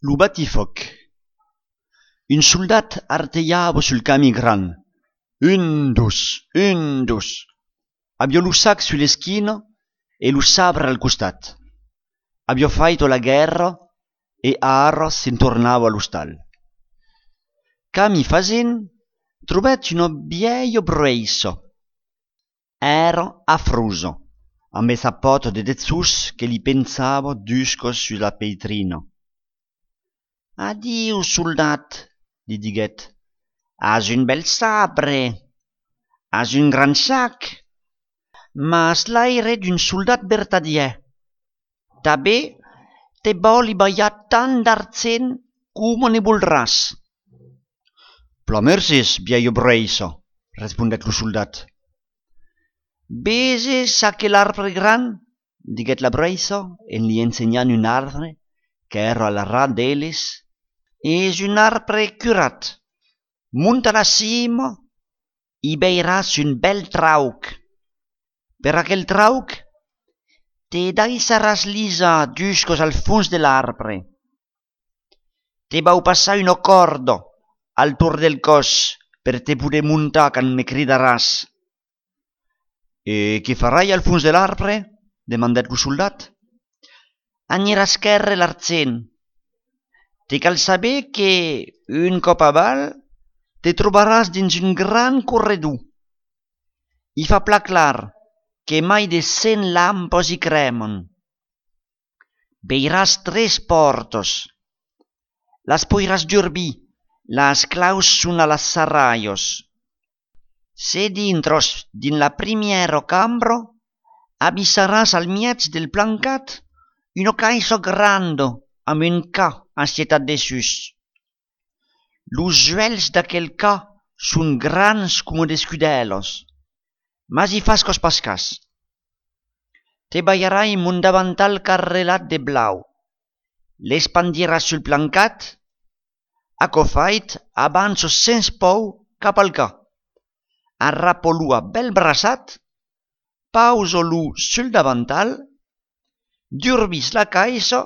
Lo batifoc. Un soldat arteiava sul camí gran. Un, dos. Abbia lo sac sulle schine e lo sabre al costat. Abbia fatto la guerra e ara se'n tornava allo stal. Camí facent, trovet una vieia breissa. Era affrosa, amb el sappato de sus che li pensava dusco sulla peitrina. Addio, soldat, li diguet. Has un bel sabre, has un gran sac, mas l'aire d'un soldat vertadier. També te voli ballar tant d'argent com ne voldràs. Plomersis, vieio breissa, respondet lo soldat. Veses aquel arbre gran, diguet la breissa, en li ensenyant un arbre que era al ras d'elles. És un arbre curat. Munta a la cima i veiràs un bel trauc. Per aquel trauc te deixaràs lisa juscos al fons de l'arbre. Te vau passar una corda al torn del cos per te poder muntar quan me cridaràs. E què farai al fons de l'arbre? Demandet lo soldat. Aniràs esquerre l'argent. Te cal saber que, un cop avall, te trobaràs dins un gran corredor. I fa pla clar que mai de 100 lampes hi cremen. Veiràs 3 portes. Las podràs dormir, las claus són a les serralles. Se dintros din la primera cambra, avisaràs al mig del plancat una caixa grande amb un ca assetat dessus. Los uells d'aquell ca són grans com d'escudelos, mas hi fas cos pas cas. Te ballarà amb un davantal carrelat de blau. L'espandiràs sul plancat, acofait avanços sens por cap al ca. Arrapo-lo a bel braçat, pausa-lo sul davantal, dormis la caixa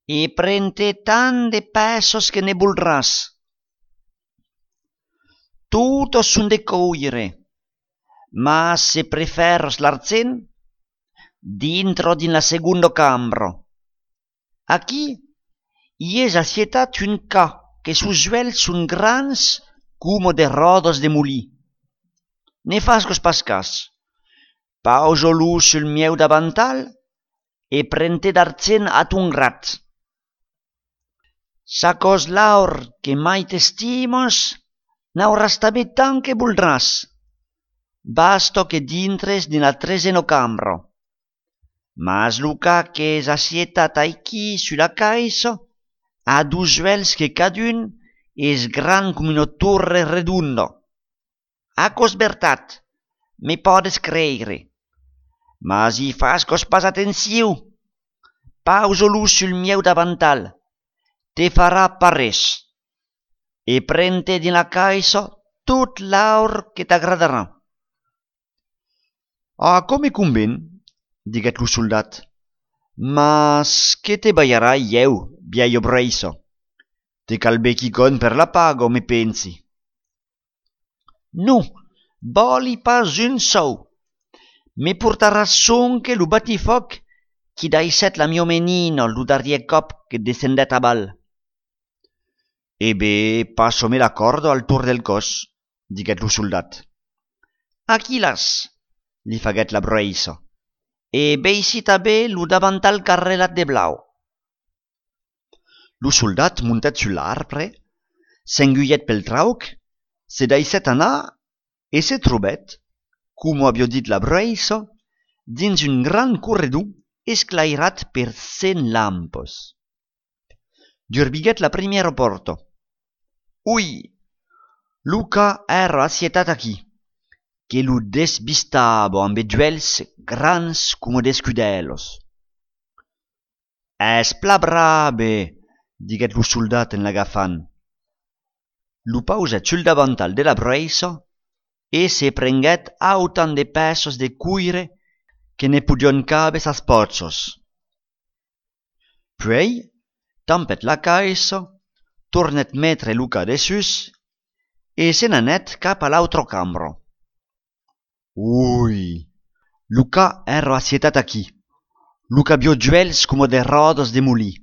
i prende tant de pesos que ne voldràs. Totes són de coure, mas se preferes l'argent, dintro din la segunda cambra. Aquí hi és assetat un ca que sus uells són grans com de rodes de molí. Ne fas cos pas cas. Pausa-lo sul meu davantal e prende d'argent a ton grat. Sa cos l'aur que mai t'estimes, n'hauràs també tant que voldràs. Basta que dintres din la 13a cambra. Mas lo ca que és assetat aquí sulla caixa ha 2 uells que cadun és gran com una torre redonda. A cos veritat, me podes creure. Mas hi fas cos pas atenció. Pausa-lo sul meu davantal. Te farà parés. E prende din la caixa tot l'aur que t'agradarà. Com me conven, diguet lo soldat. Mas que te ballarà eu, vieio breissa. Te cal becchicon per la paga, me pensi. No, voli pas un sou. Me portaràs sonque lo batifoc qui deixet la mia menina lo darrier cop que descendet a bal. E bé, passo-me la corda al torn del cos, diguet lo soldat. Aquí l'has, li faguet la breissa. E veixi també lo davantal carrelat de blau. Lo soldat muntet sul l'arbre, s'engullet pel trauc, se deixet anar e se trobet, com havia dit la breissa, dins un gran corredor esclairat per 100 lampes. Derbiguet la primera porta. Ui, lo ca era assetat aquí, que lo desbistava amb uells grans com d'escudelos. És pla brabe, diguet lo soldat en l'agafant. Lo pauset sul davantal de la breissa e se prenguet autant de pesos de cuire que ne podion caber sas potzos. Puei tampet la caixa, tornet metre Luca de sus e se n'anet cap a l'altro cambro. Ui, Luca ero assietat aquí. Luca vio giuels como de rodos de muli.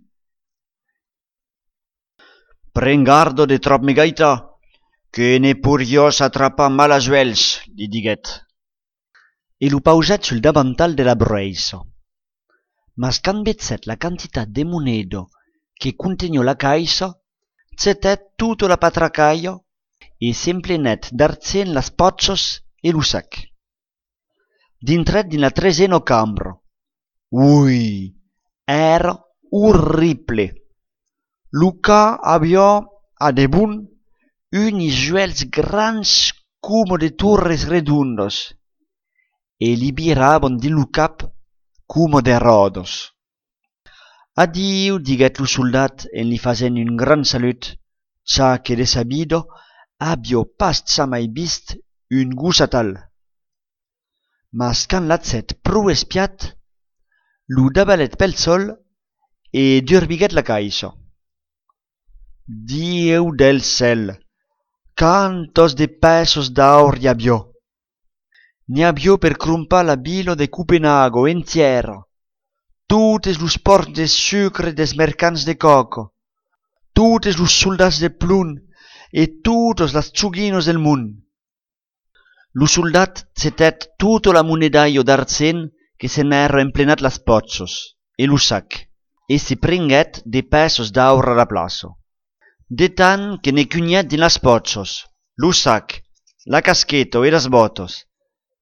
Pren gardo de trop me gaita, que ne purios atrapa mala giuels, li diguet. E lu pauset sul davantal de la breiso. Mas quand bezzet la quantitat de monedo che contegno la caixa, zetet tutto la patracaio e s'emplenet d'arzen las potsos e lu sac. Dintret din la treseno cambro. Ui, era orrible. Luca aviò a de bun unis giuels grans como de torres redondos e li biravan din lu cap como de rodos. Addio, diguet lu soldat en li fasen un gran salut, cha que de sabido aviò pas mai vist un gusa tal. Mas quand l'atzet prou espiat, lu dabalet pel sol e durbiguet la caixa. Dieu del cel, cantos de pesos d'aur hi aviò. Ne aviò per crumpar la bilo de Copenhago entiera, totes los ports de sucre des mercants de coco, totes los soldats de plun e totos las tsuginos del mund. Lo soldat zetet tutto la monedaio d'arzen che se n'ero emplenat las potsos e lo sac, e si pringuet de pesos d'aur a la plaso. De tant que ne cugnet din las potsos, lo sac, la cascheto e las botos,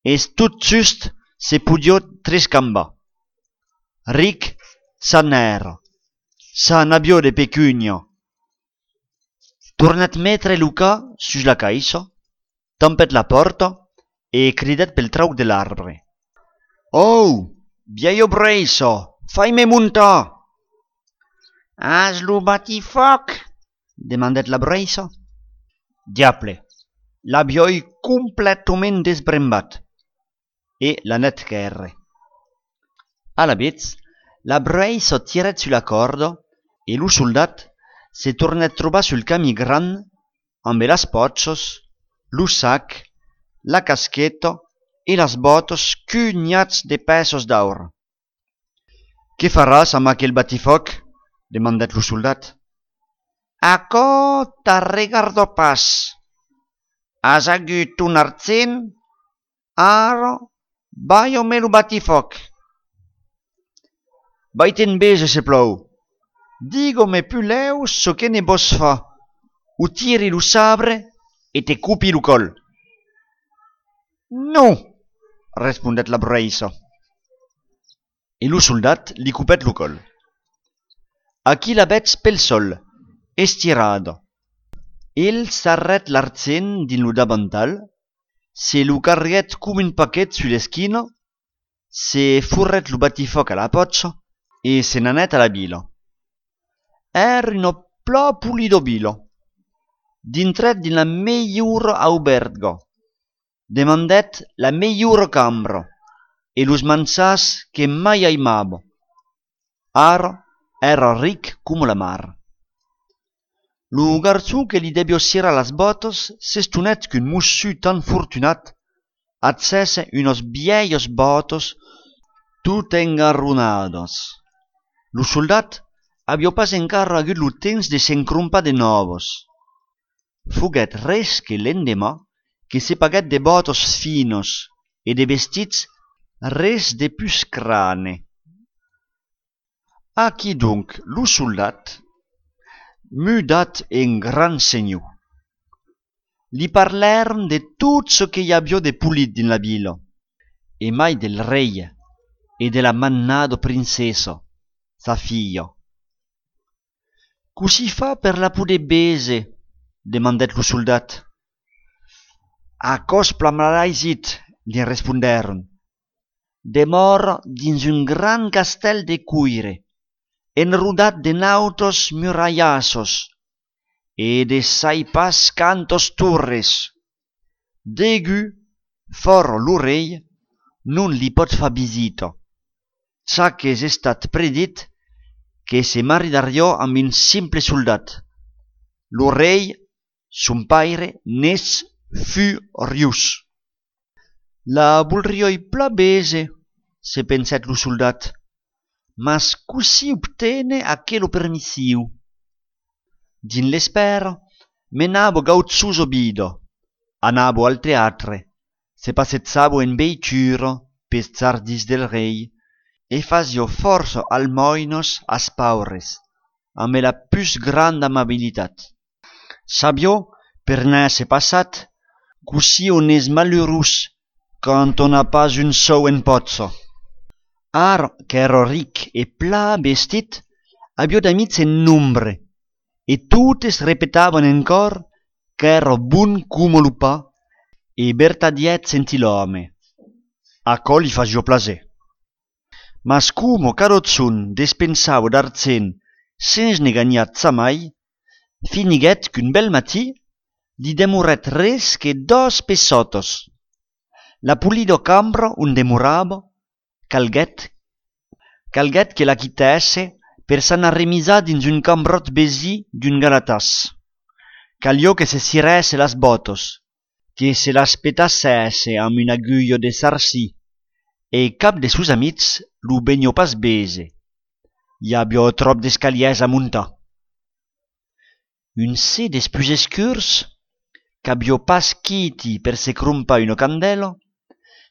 es tot just se pudió trescamba. Ric sa n'era, sa n'aviò de pecunio. Tornat metre Luca sus la caixa, tampet la porta e cridet pel trauc de l'arbre. Oh, vieio breiso, fai-me muntar! Has lo batifoc? Demandet la breiso. Diable, l'avioi completament desbrembat. E la net qu'erre. A la vez, la breiso tiret sulla corda e lo soldat se tornet trobar sul camí gran amb las potsos, lo sac, la caschetta e las botos cugnats de pesos d'aur. «Què faràs amb aquell batifoc?» demandet lo soldat. «Aquò t'arregardo pas. Has agut un arzen? Ara, vaio-me lo batifoc. Vaiten bese se plou. Digo-me puleu so que ne vos fa. O tiri lo sabre e te cupi lo col.» «No», respondet la breiso. E lo soldat li cupet lo col. Aquí la vetz pel sol, estirada. El s'arret l'arzen din lo davantal, se lo carguet com un paquet su l'esquina, se furret lo batifoc a la potsa e se n'anet a la bilo. Era una pla pulido bilo. Dintret din la meiura auberga. Demandet la meiura cambra e los mansars que mai aimavo. Ara era ric como la mar. Lo garzon que li debió sierra las botas s'estonet qu'un mossu tan fortunat accese unos viejos botos tout engarrunados. Lo soldat avió pas encara agut lo temps de s'encrompar de novos. Foguet res que l'endemà que se paguet de botos finos e de vestits res de pus crane. Aquí donc lo soldat mudat en gran senyor. Li parlèron de tot ce que hi avió de pulit din la vila, e mai del rei e de la mannado princesa, sa filla. «Così fa per la poder bese?» demandet lo soldat. «Acos plamaraisit», li respondèron. «Demora dins un gran castell de cuire, enrodat de nautos murallassos e de sai pas cantos torres. Degu, for lo rei, non li pot fa visita, ça que és estat predit che se maridariò amb un simple soldat. Lo rei, son paire, n'és furiós. La voldrioi pla bese, se pensèt lo soldat, mas così obtene aquelo permissiu. Din l'espera, menavo gauzzoso bido, anavo al teatre, se passezzavo in veituro pes zardis del rei, e fasio força almoinos as paures, amb la plus granda amabilitat. Sabio, per n'èsser passat, così on és malheurós quand on n'a pas un sou en pozzo. Ar qu'ero ric e pla vestit, abio d'amics en nombre, e totes repetavan encor qu'ero bon como lo pa e vertadiet gentilhome. A co li fasio plaser. Mas como carotzon despensavo d'argent sens ne ganiat mai, finiguet qu'un bel matí li demoret res que 2 pessotos. La pulido cambro on demoravo calguet que la quittesse per s'anar remisar dins un cambrot besí d'un galatàs. Caliò que se ciresse las botos, que se l'aspetassesse amb un aguillo de sarcí, e cap de sus amics lo benio pas bese. I abio trop d'escaliers a muntar. Un se des plus escurs, qu'abio pas chiti per se crumpa uno candelo,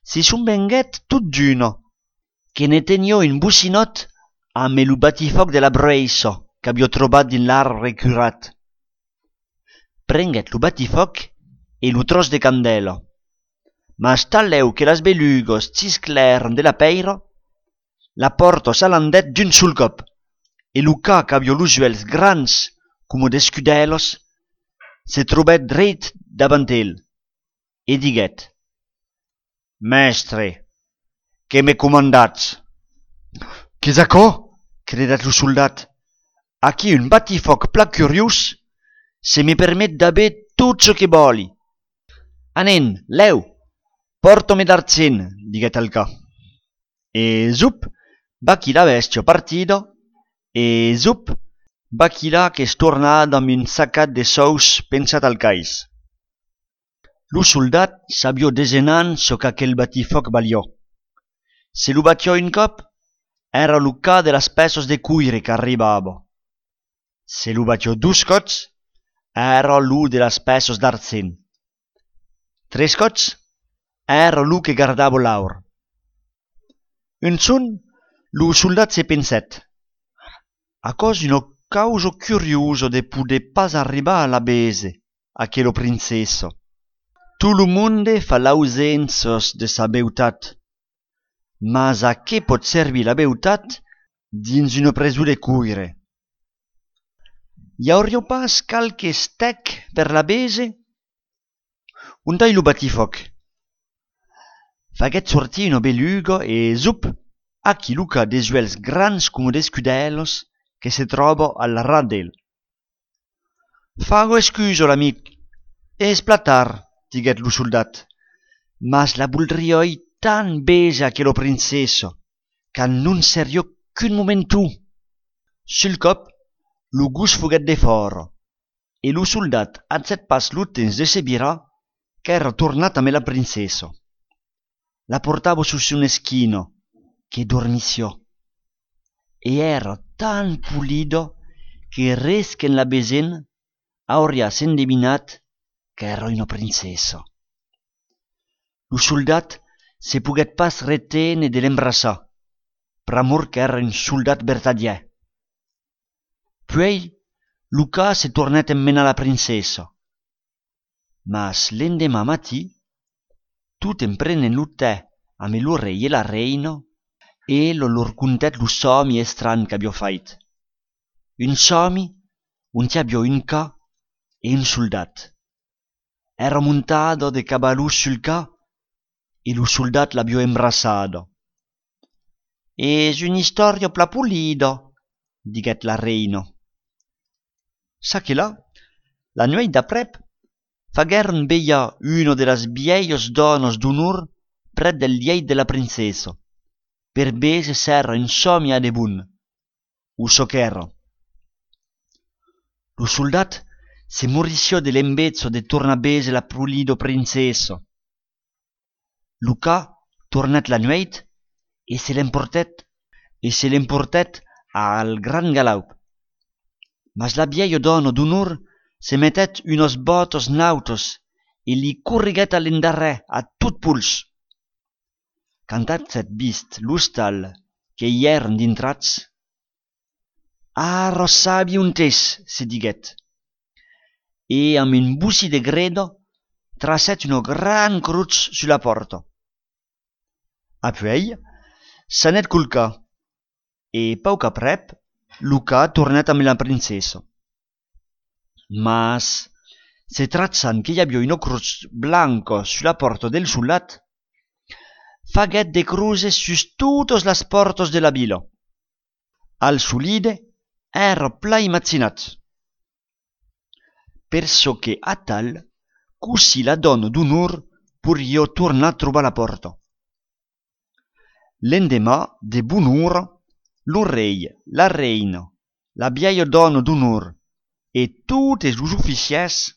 si son venguet tot d'uno, che ne tenio un bucinot amb lo batifoc de la Breiso qu'abio trobat din l'arbre curat. Prenguet lo batifoc e lo tros de candelo, mas taleu que las belugos cisclèron de la peiro, la porto s'alandet d'un sul cop, e lo ca qu'abio los uels grans como d'escudelos se trobèt dret davant el, e diguet: «Mestre, que me comandatz?» «Qu'es aquò?» credet lo soldat. «Aquí un batifoc pla curiós se me permet d'aver tot çò que voli.» «Anen, leu, porto-me d'argent», diguet el ca. E zup, bachila bestio partido, e zup, bachila qu'es tornat amb un sacat de sous pensat al cais. Lo soldat s'abio desenant çò qu'aquel batifoc valió. Se lo batió un cop, era lo ca de las pesos de cuire qu'arribavo. Se lo batió 2 cots, era lo de las pesos d'argent. 3 cots, era lo que guardavo l'aur. Un son, lo soldat se pensèt: a cos uno causo curioso de poder pas arribar a la bese, aquelo princeso. Tout lo monde fa l'ausenzos de sa beutat. Mas a què pot servir la beutat dins una presó de cuire? I aurio pas calque stec per la bese? Ondai lo batifoc. Faguet sortir uno belugo e zup, aquí luca des uels grans como d'escudelos che se trobo al ras d'el. Fago escuso l'amic, es platar, diguet lo soldat, mas la voldrioi tan bese aquelo princeso, qu'an non serio qu'un momentu. Sul cop, lo gus foguet de foro, e lo soldat atzet pas lo temps de se virar qu'era tornat amb la princeso. La portavo sus un eschino, che dormició, e era tan pulido que res qu'en la besen auria s'endevinat qu'era una princeso. Lo soldat se poguet pas retene de l'embrassar, pramor qu'era un soldat vertadier. Puei, lo ca se tornet emmena la princeso. Mas l'endemà matí, tot en prenen lo tè amb lo rei e la reina, e lor contet lo somi estran qu'abio fait. Un somi on abio un ca e un soldat. Era montado de caballo sul ca e lo soldat l'abio embrassado. «Es un'istoria pla pulido», diguet la reina. Sa che la nueit d'aprep, fagueren veia uno de las vieios donos d'onor pret del lieit de la princeso, per bese serra un somia de bun. uso ch'ero. Lo soldat se morició de l'embezzo de tornar a bese la pulido princesso. Luca tornat la nueit e se l'emportet al gran galaup. Mas la vieio dono d'unor se mettet unos botos nautos e li corriguet all'endarrè a tot puls. Cantat s'et vist l'ostal che i èran dintrats, arrossabi un tes, se diguet, e amb un bussi de gredo tracet una gran cruz sulla porta. Apuei s'anet culcar e pauc aprèp Luca tornat amb la princessa. Mas se trazzan che i aviò una cruz blanca sulla porta del soldat, faguet de cruces sus totes las portas de la vila. Al solide era plai mazzinat. Perso che a tal, così la donna d'unor puriò tornar a trobar la porta. L'endemà de bon'ora, lo rei, la reina, la vieia donna d'unor e totes los ufficiers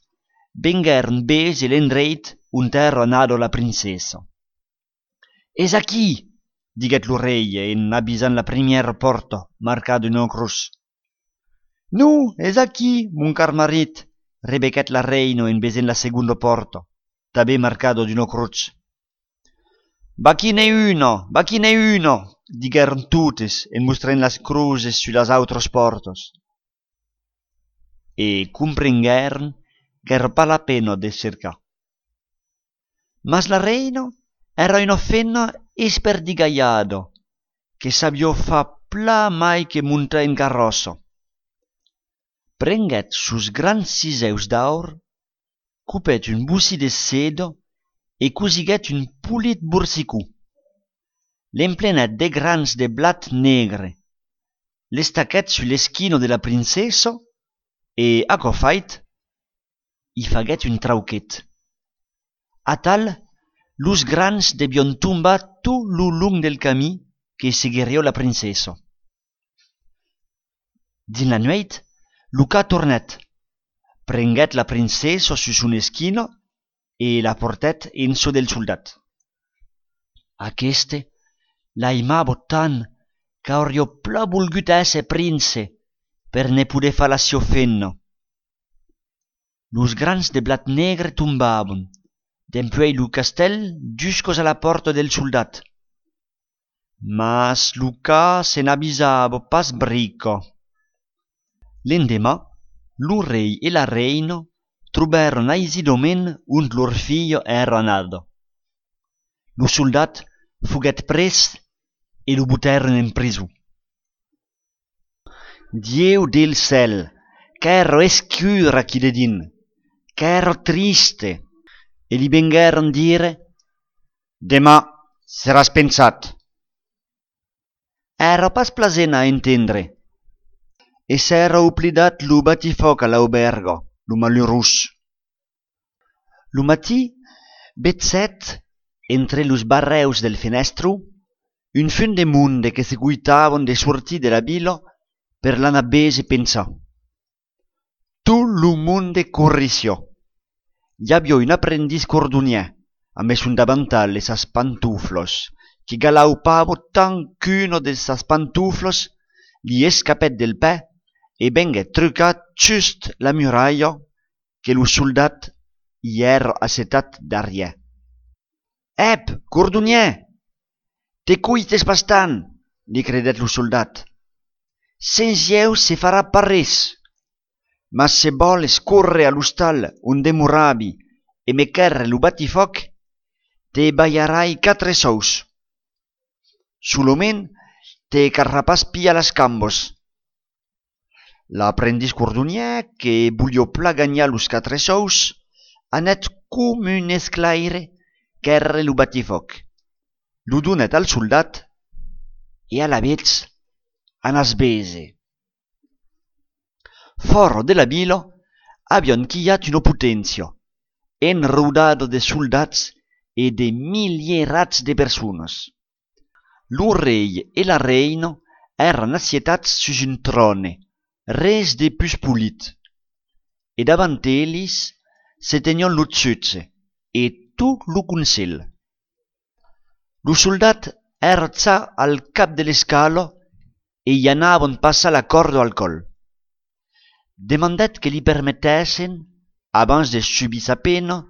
vengueren bese l'endreit on era anada la princessa. «Es aquí», diguet lo rei en avisant la primièra porta marcada una cruz. «Nu, es aquí, mon car marit», rebequet la reina en besent la segunda porta, també marcada d'una cruz. «Va qui n'è una», digueren totes en mostrant las cruces su las autras portas. E comprengueren qu'era pas la pena de cercar. Mas la reina era una fenna esperdigaiada, che sabió fa pla mai che montar en carrossa. Prenguet sus grans ciseus d'aur, cupet un bussi de seda e cosiguet un pulit borsicú. L'emplenet de grans de blat negre, l'estaquet su l'esquino de la princessa e, aquò fait, i faguet un trauquet. A tal, los grans debion tombar tot lo long del camí que seguiria la princessa. Din la nueit, Luca tornet, prenguet la princessa su son esquina e la portet en so del soldat. Aqueste la aimava tant qu'auria pla volgut ésser prince per ne poder fa la sua fenna. Los grans de blat negre tombaven, dempuèi lo castell juscos a la porta del soldat. Mas Luca se n'avisava pas brica. L'endemà, lo rei e la reina trobaron aisidament ont lor filla era anada. Lo soldat fuguet pres e lo buttèron en prisó. Dieu del cel, qu'era escura chi de din, qu'era triste, e li vengueren dire: «Demà seràs pensat». Era pas plasent a entendre, e s'era oblidat lo batifoc a l'auberga, lo malheurós. Lo matí vetzet, entre los barreus del fenestro, un fun de monde que se guitavan de sortir de la vila per l'anar a bese pensar. Tot lo monde corrició. Hi havia un aprendiz cordonier, amb son davantal e sas pantuflos, que galaupava tant qu'una de sas pantuflos li escapèt del pè e vengué trucat just la muralla que lo soldat hi era assetat darrière. «Ep, cordonier, te cuites bastant», li credet lo soldat. «Sens jeu se farà pas res. Mas se voles córrer a l'hostal on demoravi e me querre lo batifoc, te balharai 4 sous. Solament te carrà pas pia las cambos». L'aprendiz cordonier, que volia pla gagnar los 4 sous, anet com un esclaire querre lo batifoc. Lo donet al soldat e a la vez anas bese. Fora de la vila avion quillat una potència, enrodada de soldats e de milierats de persones. Lo rei e la reina Eran assietats sus un trone, res de plus polit. E davant ells se tenion lo zutze e tot lo consell. Lo soldat era za al cap de l'escalo e gli anavon passa la corda al col. Demandet que li permettessin, abans de subir sa pena,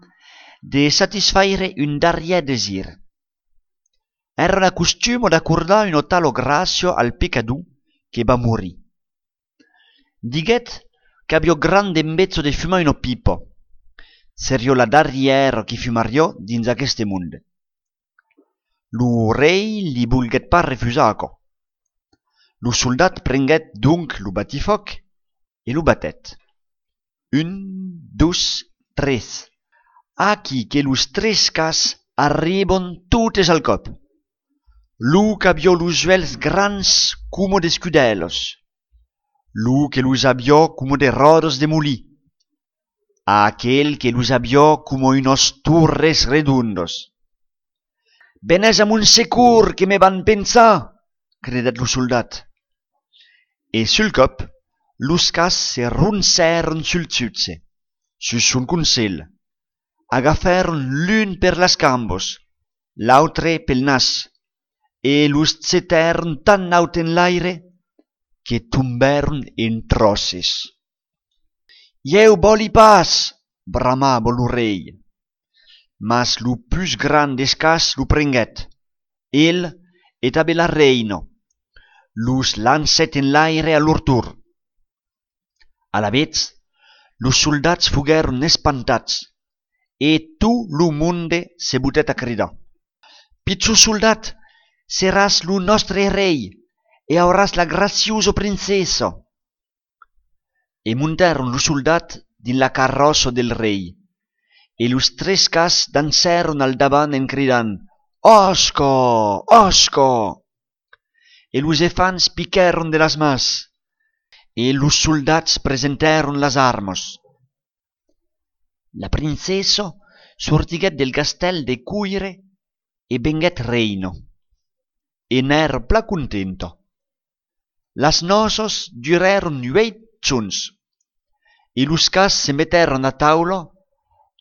de satisfaire un darrièr desir. Era la costume d'accordar un talo gracio al peccador che va morir. Diguet qu'aviò grande embezzo de fumar una pipa. Serio la darrièra qui fumariò dins aqueste monde. Lo rei li volguet pas refusaco. Lo soldat prenguet donc lo batifoc e lo batet. 1, 2, 3. Aquí que los 3 cas arribon totes al cop. Lo qu'aviò los uells grans como de scudelos. Lo que los aviò como de rodos de molí. Aquel que los aviò como unos torres redondos. «Venez a mon secur, que me van pensar!» credet lo soldat. E sul cop, los cas se roncèron sul zutze, sus son consell. Agafèron l'un per las cambos, l'autre pel nas, e los zetèron tan naut en l'aire que tombèron en trosses. «Jeu boli pas!» bramava lo rei. Mas lo plus grand des cas lo prenguet. El e tanben la reina. Los lancet en l'aire a lor tour. A la vez, los soldats foguèron espantats e tot lo monde se botet a cridar. «Pitjor soldat, seràs lo nostre rei e auràs la graciosa princesa!» E montèron lo soldat din la carrossa del rei, e los 3 cas dansèron al davant en cridant «Osca! Osca!» E los elefants piquèron de las mas, e los soldats presentèron las armas. La princesa sortiguet del castell de cuire e venguet reina, e n'era pla contenta. Las noces durèron 8 giorns, e los cas se mettèron a taula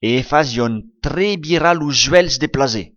e fazion trebirar los uells de plaser.